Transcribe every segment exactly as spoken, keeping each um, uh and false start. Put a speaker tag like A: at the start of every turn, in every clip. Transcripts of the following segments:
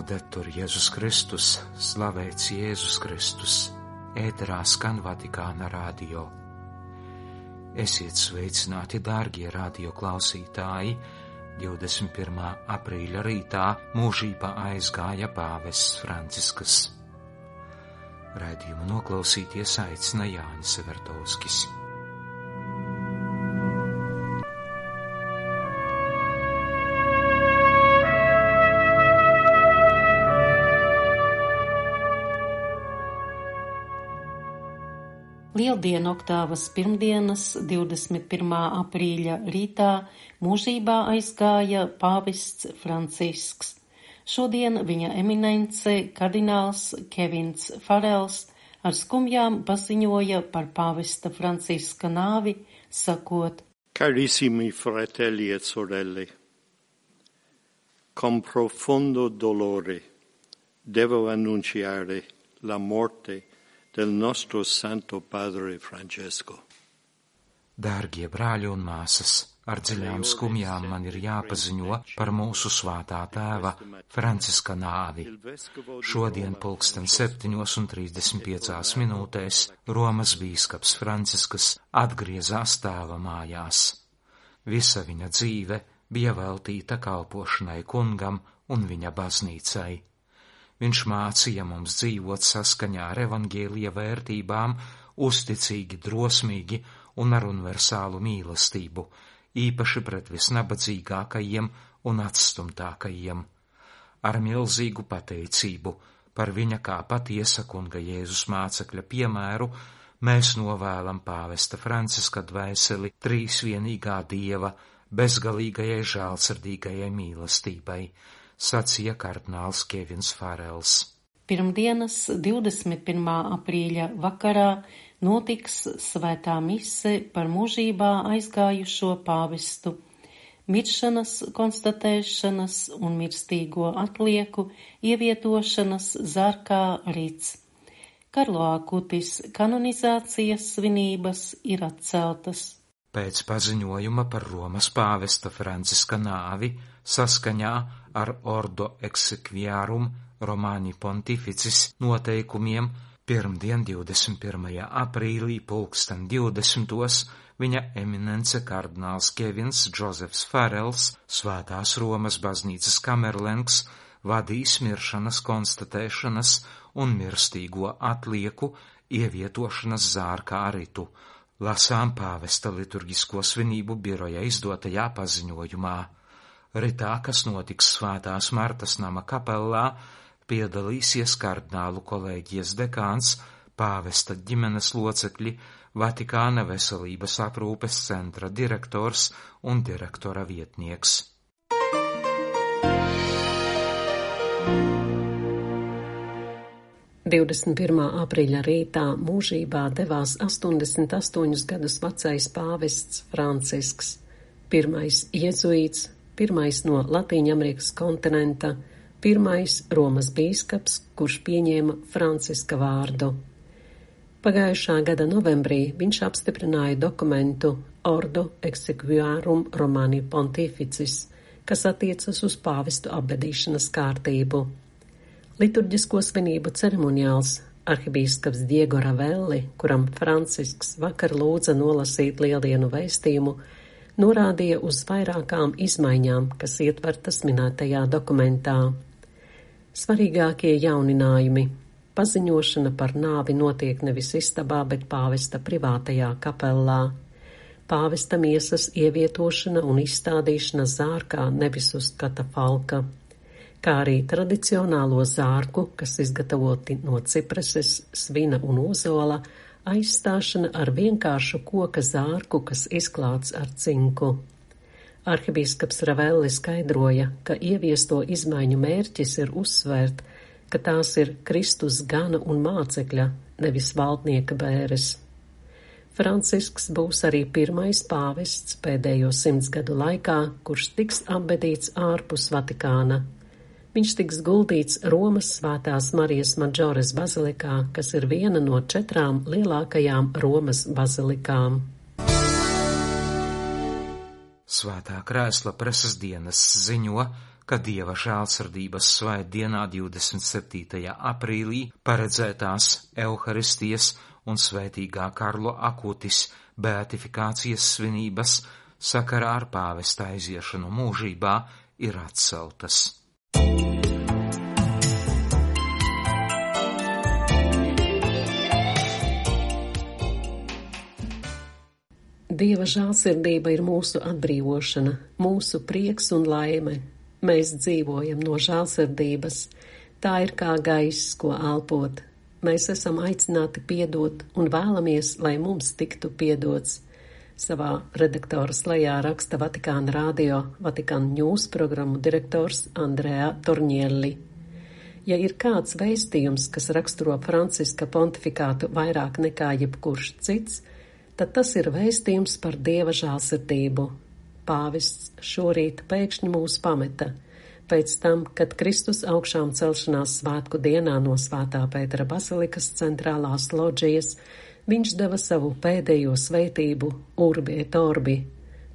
A: Laudetur Jēzus Kristus, slavēts Jēzus Kristus, ēterā skan Vatikāna radio. Esiet sveicināti, dārgie radio klausītāji, divdesmit pirmā aprīļa rītā mūžībā aizgāja pāvests Francisks. Raidījumu noklausīties aicina Jānis Vertovskis.
B: Lieldienu oktāvas pirmdienas, divdesmit pirmā aprīļa rītā mūžībā aizgāja pāvests Francisks. Šodien viņa eminence kardināls Kevins Farels ar skumjām paziņoja par pāvesta Franciska nāvi, sakot:
C: Carissimi fratelli e sorelle, con profondo dolore devo annunciare la morte del nostro Santo Padre Francesco.
A: Dārgie brāļi un māsas, ar dziļām skumjām man ir jāpaziņo par mūsu svētā tēva Franciska nāvi. Šodien pulksten septiņos un trīsdesmit piecās minūtēs Romas bīskaps Francisks atgriezās tēva mājās. Visa viņa dzīve bija veltīta kalpošanai kungam un viņa baznīcai. Viņš mācīja mums dzīvot saskaņā ar evaņģēlija vērtībām, uzticīgi, drosmīgi un ar universālu mīlestību, īpaši pret visnabadzīgākajiem un atstumtākajiem. Ar milzīgu pateicību par viņa kā patiesa kunga Jēzus mācekļa piemēru mēs novēlam pāvesta Franciska dvēseli trīsvienīgā Dieva bezgalīgajai žēlsirdīgajai mīlestībai, sacīja kardināls Kevins Farels.
B: Pirmdienas divdesmit pirmā aprīļa vakarā notiks svētā mise par mūžībā aizgājušo pāvestu, miršanas konstatēšanas un mirstīgo atlieku ievietošanas zārkā rīts. Karlo Akutis kanonizācijas svinības ir atceltas.
A: Pēc paziņojuma par Romas pāvesta Franciska nāvi saskaņā ar Ordo Exequiarum Romani Pontificis noteikumiem pirmdien divdesmit pirmajā aprīlī pulksten divdesmitos viņa eminence kardināls Kevins Džozefs Farels, Svētās Romas baznīcas kamerlengs, vadīs miršanas konstatēšanas un mirstīgo atlieku ievietošanas zārkā ritu. Lasām pāvesta liturgisko svinību biroja izdotajā paziņojumā. Ritā, kas notiks Svētās Martas nama kapellā, piedalīsies kardinālu kolēģijas dekāns, pāvesta ģimenes locekļi, Vatikāna veselības aprūpes centra direktors un direktora vietnieks.
D: divdesmit pirmā aprīļa rītā mūžībā devās astoņdesmit astoņus gadus vecais pāvests Francisks, pirmais jezuīts, pirmais no Latīņamerikas kontinenta, pirmais Romas bīskaps, kurš pieņēma Franciska vārdu. Pagājušā gada novembrī viņš apstiprināja dokumentu Ordo Exequiarum Romani Pontificis, kas attiecas uz pāvestu apbedīšanas kārtību. Liturģisko svinību ceremoniāls arhibīskaps Diego Ravelli, kuram Francisks vakar lūdza nolasīt lieldienu vēstījumu, norādīja uz vairākām izmaiņām, kas ietvertas minētajā dokumentā. Svarīgākie jauninājumi. Paziņošana par nāvi notiek nevis istabā, bet pāvesta privātajā kapellā. Pāvesta miesas ievietošana un izstādīšana zārkā, nevis uz katafalka, kā arī tradicionālo zārku, kas izgatavoti no cipreses, svina un ozola, aizstāšana ar vienkāršu koka zārku, kas izklāts ar cinku. Arhibīskaps Ravelli skaidroja, ka ieviesto izmaiņu mērķis ir uzsvērt, ka tās ir Kristus gana un mācekļa, nevis valdnieka bēres. Francisks būs arī pirmais pāvests pēdējo simts gadu laikā, kurš tiks apbedīts ārpus Vatikāna. Viņš tiks guldīts Romas Svētās Marijas Madžores bazilikā, kas ir viena no četrām lielākajām Romas bazilikām.
A: Svētā krēsla preses dienas ziņo, ka Dieva žēlsirdības svētdienā divdesmit septītajā aprīlī paredzētās Euharistijas un svētīgā Karlo Akutis beatifikācijas svinības sakarā ar pāvesta aiziešanu mūžībā ir atceltas.
D: Dieva žēlsirdība ir mūsu atbrīvošana, mūsu prieks un laime. Mēs dzīvojam no žēlsirdības. Tā ir kā gaiss, ko elpot. Mēs esam aicināti piedot un vēlamies, lai mums tiktu piedots. Savā redaktora slejā raksta Vatikāna radio Vatikāna News programmu direktors Andrea Tornielli. Ja ir kāds vēstījums, kas raksturo Franciska pontifikātu vairāk nekā jebkurš cits, tad tas ir vēstījums par Dieva žēlsirdību. Pāvests šorīt pēkšņi mūs pameta. Pēc tam, kad Kristus augšām celšanās svētku dienā no Svētā Pētera bazilikas centrālās loģijas, viņš deva savu pēdējo svētību Urbi et Orbi,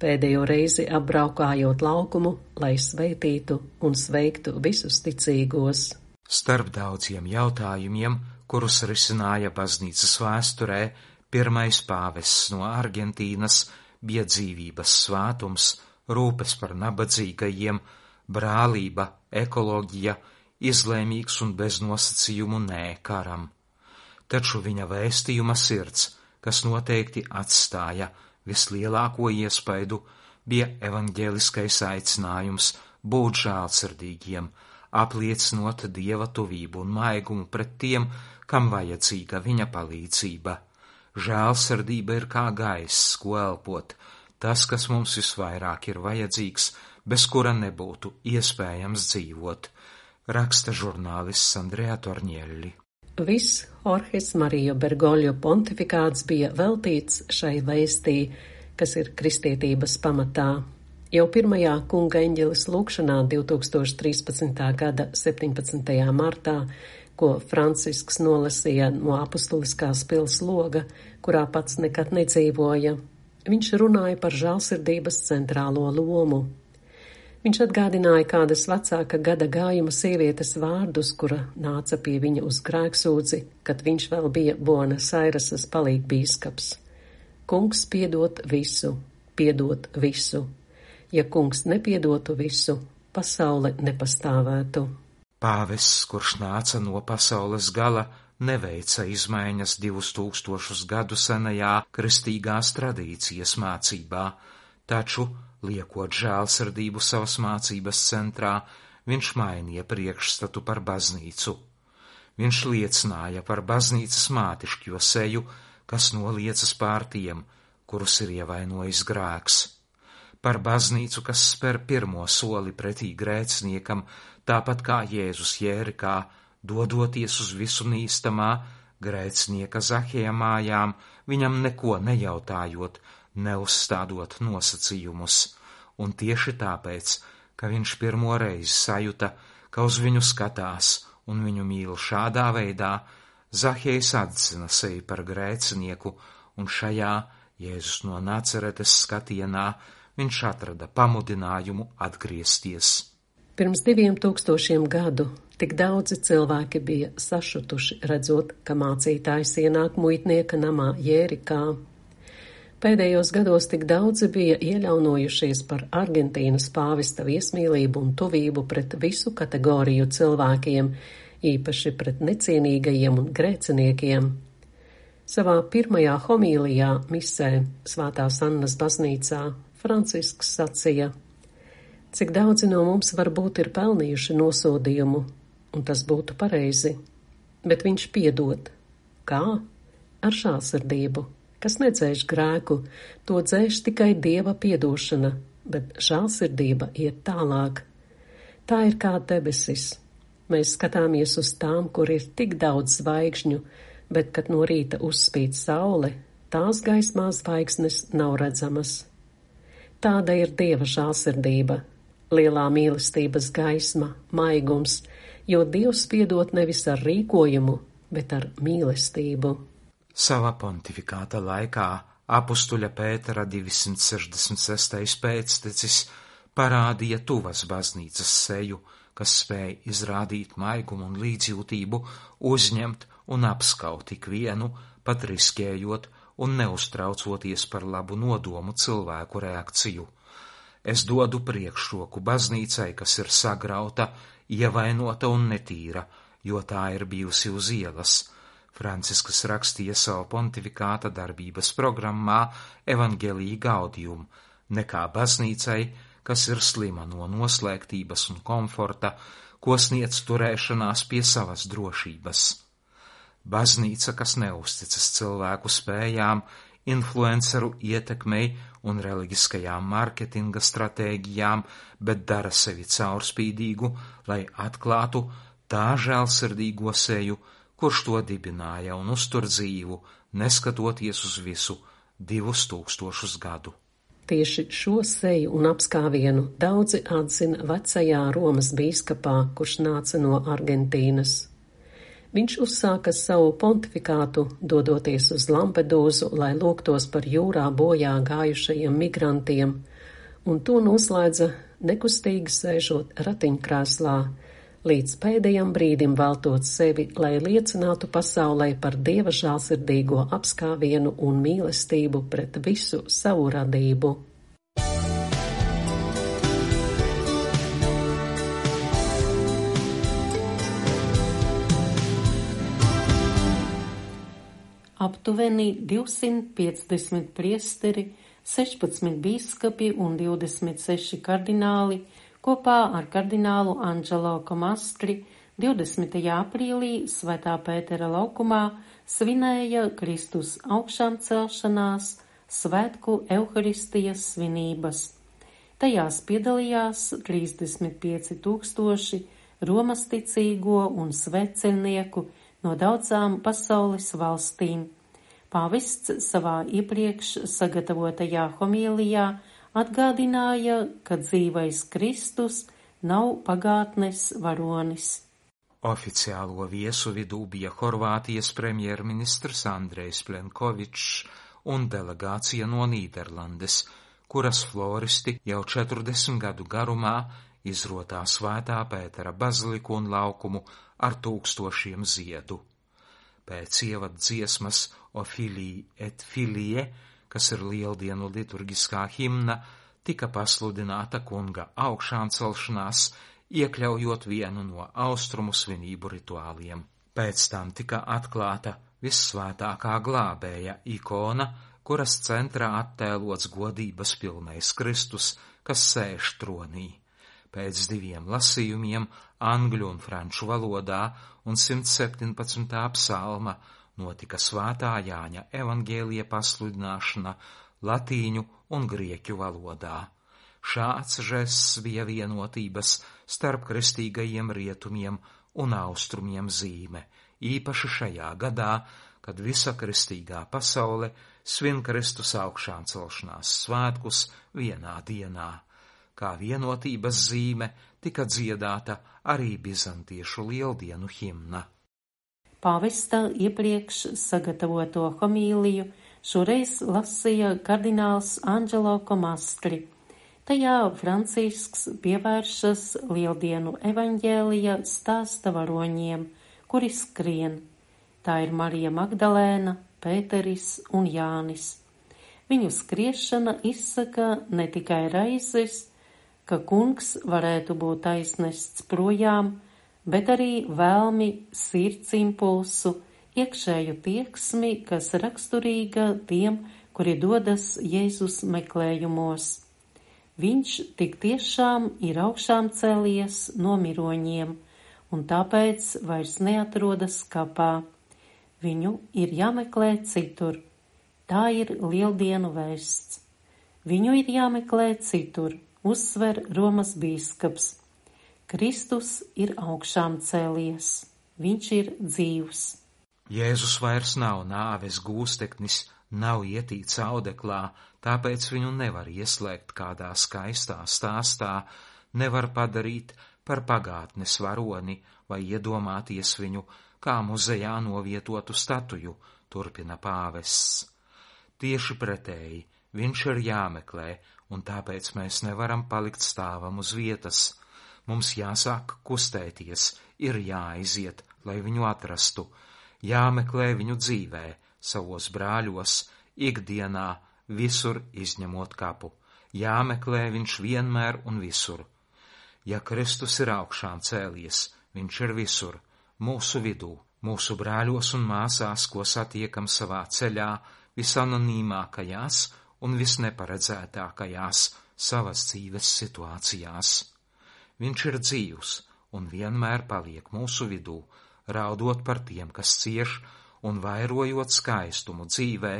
D: pēdējo reizi apbraukājot laukumu, lai svētītu un sveiktu visus ticīgos.
A: Starp daudziem jautājumiem, kurus risināja baznīcas vēsturē, pirmais pāvests no Argentīnas bija dzīvības svētums, rūpes par nabadzīgajiem, brālība, ekoloģija, izlēmīgs un bez nosacījumu nē karam. Taču viņa vēstījuma sirds, kas noteikti atstāja vislielāko iespaidu, bija evaņģēliskais aicinājums būt žēlsirdīgiem, apliecinot Dieva tuvību un maigumu pret tiem, kam vajadzīga viņa palīdzība. Žēlsirdība ir kā gaiss, ko elpot, tas, kas mums visvairāk ir vajadzīgs, bez kura nebūtu iespējams dzīvot, raksta žurnālists Andrea Tornielli.
D: Viss Jorges Marija Bergoglio pontifikāts bija veltīts šai vēstī, kas ir kristietības pamatā. Jau pirmajā kunga eņģeles lūkšanā divtūkstoš trīspadsmitā gada septiņpadsmitajā martā, ko Francisks nolasīja no apustuliskās pils loga, kurā pats nekad nedzīvoja, viņš runāja par žēlsirdības centrālo lomu. Viņš atgādināja kādas vecāka gada gājuma sievietes vārdus, kura nāca pie viņa uz grēksūdzi, kad viņš vēl bija Buenos Airesas palīgbīskaps. Kungs piedot visu, piedot visu. Ja kungs nepiedotu visu, pasaule nepastāvētu.
A: Pāvests, kurš nāca no pasaules gala, neveica izmaiņas divus tūkstošus gadu senajā kristīgās tradīcijas mācībā, taču, liekot žēlsirdību savas mācības centrā, viņš mainīja priekšstatu par baznīcu. Viņš liecināja par baznīcas mātišķo seju, kas noliecas pār tiem, kurus ir ievainojis grēks. Par baznīcu, kas spēr pirmo soli pretī grēciniekam, tāpat kā Jēzus Jērikā, dodoties uz visu nīstamā grēcinieka Zahēja mājām, viņam neko nejautājot, neuzstādot nosacījumus, un tieši tāpēc, ka viņš pirmo reizi sajuta, ka uz viņu skatās un viņu mīl šādā veidā, Zahējs atzina sevi par grēcinieku, un šajā Jēzus no Nacaretes skatienā viņš atrada pamudinājumu atgriezties.
D: Pirms diviem tūkstošiem gadu tik daudzi cilvēki bija sašutuši, redzot, ka mācītājs ienāk muitnieka namā Jērikā. Pēdējos gados tik daudzi bija ieļaunojušies par Argentīnas pāvesta viesmīlību un tuvību pret visu kategoriju cilvēkiem, īpaši pret necienīgajiem un grēciniekiem. Savā pirmajā homīlijā misē Svētās Annas baznīcā Francisks sacīja: cik daudzi no mums varbūt ir pelnījuši nosodījumu, un tas būtu pareizi, bet viņš piedod. Kā? Ar žēlsirdību, kas nedzēš grēku, to dzēš tikai Dieva piedošana, bet žēlsirdība iet tālāk. Tā ir kā debesis. Mēs skatāmies uz tām, kur ir tik daudz zvaigžņu, bet, kad no rīta uzspīd saule, tās gaismā zvaigznes nav redzamas. Tāda ir Dieva žēlsirdība, lielā mīlestības gaisma, maigums, jo Dievs piedod nevis ar rīkojumu, bet ar mīlestību.
A: Savā pontifikāta laikā apustuļa Pētera divsimt sešdesmit sestais pēctecis parādīja tuvas baznīcas seju, kas spēj izrādīt maigumu un līdzjūtību, uzņemt un apskaut ikvienu, pat riskējot un neuztraucoties par labu nodomu cilvēku reakciju. Es dodu priekšroku baznīcai, kas ir sagrauta, ievainota un netīra, jo tā ir bijusi uz ielas. Francisks rakstīja savu pontifikāta darbības programmā Evangelii Gaudium, nekā baznīcai, kas ir slima no noslēgtības un komforta, ko sniedz turēšanās pie savas drošības. Baznīca, kas neuzticas cilvēku spējām, influenceru ietekmei un reliģiskajām mārketinga stratēģijām, bet dara sevi caurspīdīgu, lai atklātu tā žēlsirdīgo seju, kurš to dibināja un uztur dzīvu, neskatoties uz visu divus tūkstošus gadu.
D: Tieši šo seju un apskāvienu daudzi atzina vecajā Romas bīskapā, kurš nāca no Argentīnas. Viņš uzsāka savu pontifikātu, dodoties uz Lampedūzu, lai lūgtos par jūrā bojā gājušajiem migrantiem, un to noslēdza nekustīgi sēžot ratiņkrēslā, līdz pēdējam brīdim veltot sevi, lai liecinātu pasaulē par Dieva žēlsirdīgo apskāvienu un mīlestību pret visu savu radību.
B: Aptuveni divsimt piecdesmit priesteri, sešpadsmit bīskapi un divdesmit seši kardināli kopā ar kardinālu Anģelo Komastri divdesmitajā aprīlī Svētā Pētera laukumā svinēja Kristus augšām celšanās svētku Euharistijas svinības. Tajās piedalījās trīsdesmit pieci tūkstoši Romas ticīgo un svecenieku no daudzām pasaules valstīm. Pāvests savā iepriekš sagatavotajā homīlijā atgādināja, ka dzīvais Kristus nav pagātnes varonis.
A: Oficiālo viesu vidū bija Horvātijas premjerministrs Andrejs Plenkovičs un delegācija no Nīderlandes, kuras floristi jau četrdesmit gadu garumā izrotā Svētā Pētera baziliku un laukumu ar tūkstošiem ziedu. Pēc ievad dziesmas O Filii et Filie, kas ir lieldienu liturgiskā himna, tika pasludināta kunga augšām celšanās, iekļaujot vienu no austrumu svinību rituāliem. Pēc tam tika atklāta vissvētākā glābēja ikona, kuras centrā attēlots godības pilnais Kristus, kas sēž tronī. Pēc diviem lasījumiem angļu un franču valodā un simt septiņpadsmitā psalma notika Svētā Jāņa evangēlija pasludināšana latīņu un grieķu valodā. Šāds žests bija vienotības starp kristīgajiem rietumiem un austrumiem zīme, īpaši šajā gadā, kad visa kristīgā pasaule svin Kristus augšām celšanās svētkus vienā dienā. Kā vienotības zīme tika dziedāta arī bizantiešu lieldienu himna.
B: Pāvesta iepriekš sagatavoto homīliju šoreiz lasīja kardināls Anģelo Komastri. Tajā Francisks pievēršas lieldienu evaņģēlija stāsta varoņiem, kuri skrien. Tā ir Marija Magdalēna, Pēteris un Jānis. Viņu skriešana izsaka ne tikai raizes, ka kungs varētu būt aiznests projām, bet arī vēlmi, sirds impulsu, iekšēju tieksmi, kas raksturīga tiem, kuri dodas Jēzus meklējumos. Viņš tik tiešām ir augšām cēlies no miroņiem, un tāpēc vairs neatrodas kapā. Viņu ir jāmeklē citur. Tā ir lieldienu vēsts. Viņu ir jāmeklē citur. Uzsver Romas bīskaps. Kristus ir augšām cēlies. Viņš ir dzīvs.
A: Jēzus vairs nav nāves gūsteknis, nav ietīts audeklā, tāpēc viņu nevar ieslēgt kādā skaistā stāstā, nevar padarīt par pagātnes varoni vai iedomāties viņu kā muzejā novietotu statuju, turpina pāvests. Tieši pretēji, Viņš ir jāmeklē, un tāpēc mēs nevaram palikt stāvam uz vietas. Mums jāsāk kustēties, ir jāaiziet, lai viņu atrastu, jāmeklē viņu dzīvē, savos brāļos, ikdienā, visur izņemot kapu. Jāmeklē viņš vienmēr un visur. Ja Kristus ir augšām cēlies, viņš ir visur, mūsu vidū, mūsu brāļos un māsās, ko satiekam savā ceļā, visanonīmākajās un visneparedzētākajās savas dzīves situācijās. Viņš ir dzīvs un vienmēr paliek mūsu vidū, raudot par tiem, kas cieš, un vairojot skaistumu dzīvē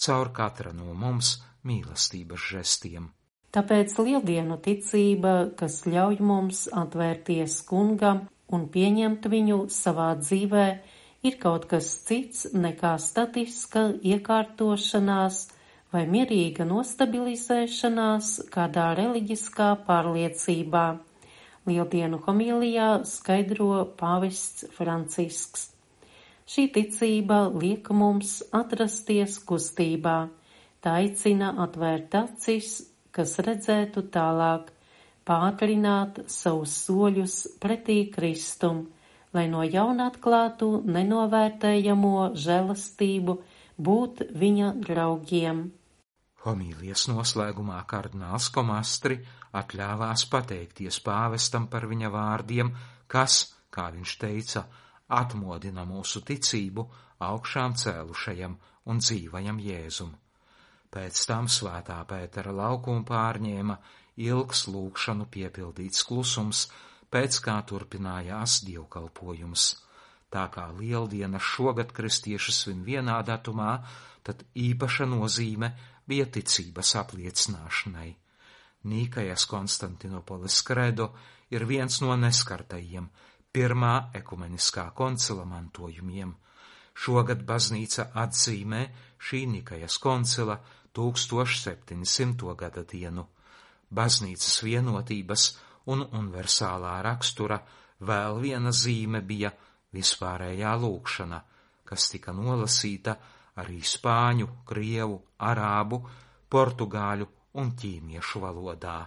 A: caur katra no mums mīlestības žestiem.
B: Tāpēc lieldienu ticība, kas ļauj mums atvērties kungam un pieņemt viņu savā dzīvē, ir kaut kas cits nekā statiska iekārtošanās vai mierīga nostabilizēšanās kādā reliģiskā pārliecībā. Lieldienu homilijā skaidro pāvests Francisks. Šī ticība liek mums atrasties kustībā, tā aicina atvērt acis, kas redzētu tālāk, pātrināt savus soļus pretī Kristum, lai no jauna atklātu nenovērtējamo žēlastību būt viņa draugiem.
A: Homīlijas noslēgumā kardināls Komastri atļāvās pateikties pāvestam par viņa vārdiem, kas, kā viņš teica, atmodina mūsu ticību augšām cēlušajam un dzīvajam Jēzum. Pēc tam svētā Pētera laukumu pārņēma ilgs lūgšanu piepildīts klusums, pēc kā turpinājās dievkalpojums. Tā kā lieldiena šogad kristieši svin vienā datumā, tad īpaša nozīme bija ticības apliecināšanai. Nīkajas Konstantinopolis kredo ir viens no neskartajiem pirmā ekumeniskā koncila mantojumiem. Šogad baznīca atzīmē šī Nikajas koncila tūkstoš septiņsimto gada dienu. Baznīcas vienotības un universālā rakstura vēl viena zīme bija vispārējā lūgšana, kas tika nolasīta arī spāņu, krievu, arābu, portugāļu un ķīniešu valodā.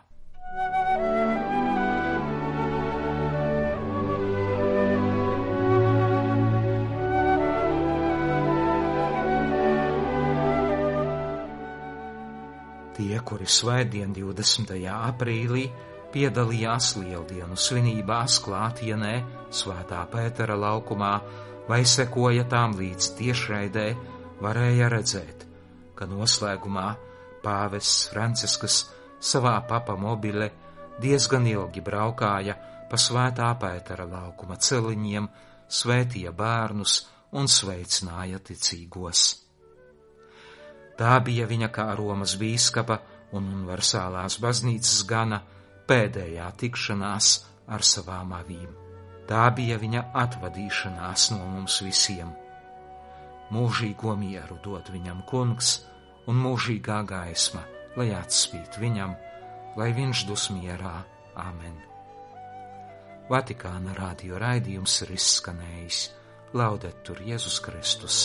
A: Tie, kuri svētdien divdesmitajā aprīlī piedalījās lieldienu svinībās klātienē Svētā Pētera laukumā vai sekoja tām līdz tiešraidē, varēja redzēt, ka noslēgumā pāvests Francisks savā papa mobile diezgan ilgi braukāja pa Svētā Pētera laukuma celiņiem, svētīja bērnus un sveicināja ticīgos. Tā bija viņa kā Romas bīskapa un universālās baznīcas gana pēdējā tikšanās ar savām avīm. Tā bija viņa atvadīšanās no mums visiem. Mūžīgo mieru dod viņam kungs un mūžīgā gaisma, lai atspīd viņam, lai viņš dus mierā. Amen. Vatikāna radio raidījums ir izskanējis. Laudetur Jēzus Kristus.